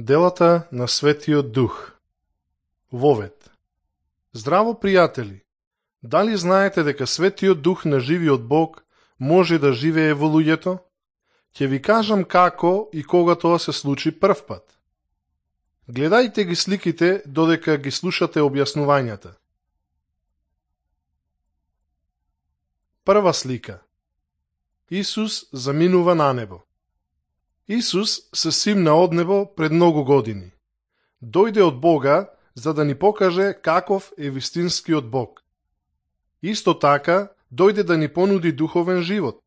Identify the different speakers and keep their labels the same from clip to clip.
Speaker 1: Делата на Светиот Дух. Вовет. Здраво, пријатели! Дали знаете дека Светиот Дух на живиот Бог може да живее во луѓето? Ќе ви кажам како и кога тоа се случи првпат. Гледајте ги сликите додека ги слушате објаснувањата. Прва слика. Исус заминува на небо. Исус се симна од небо пред многу години. Дојде од Бога за да ни покаже каков е вистинскиот Бог. Исто така, дојде да ни понуди духовен живот.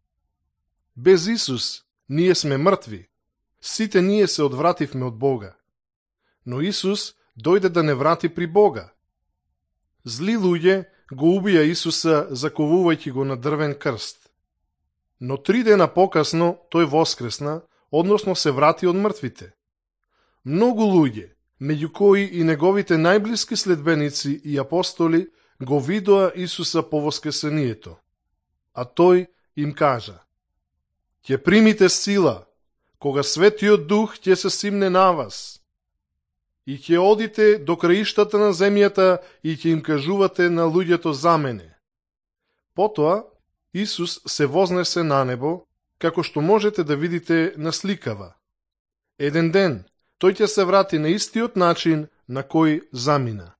Speaker 1: Без Исус, ние сме мртви. Сите ние се одвративме од Бога. Но Исус дојде да не врати при Бога. Зли луѓе го убија Исуса заковувајќи го на дрвен крст. Но 3 дена покасно тој воскресна, односно се врати од мртвите. Многу луѓе, меѓу кои и неговите најблиски следбеници и апостоли, го видоа Исуса по воскресението. А тој им кажа: ќе примите сила, кога Светиот Дух ќе се симне на вас, и ќе одите до краиштата на земјата и ќе им кажувате на луѓето за мене. Потоа Исус се вознесе на небо, како што можете да видите на сликава. Еден ден тој ќе се врати на истиот начин на кој замина.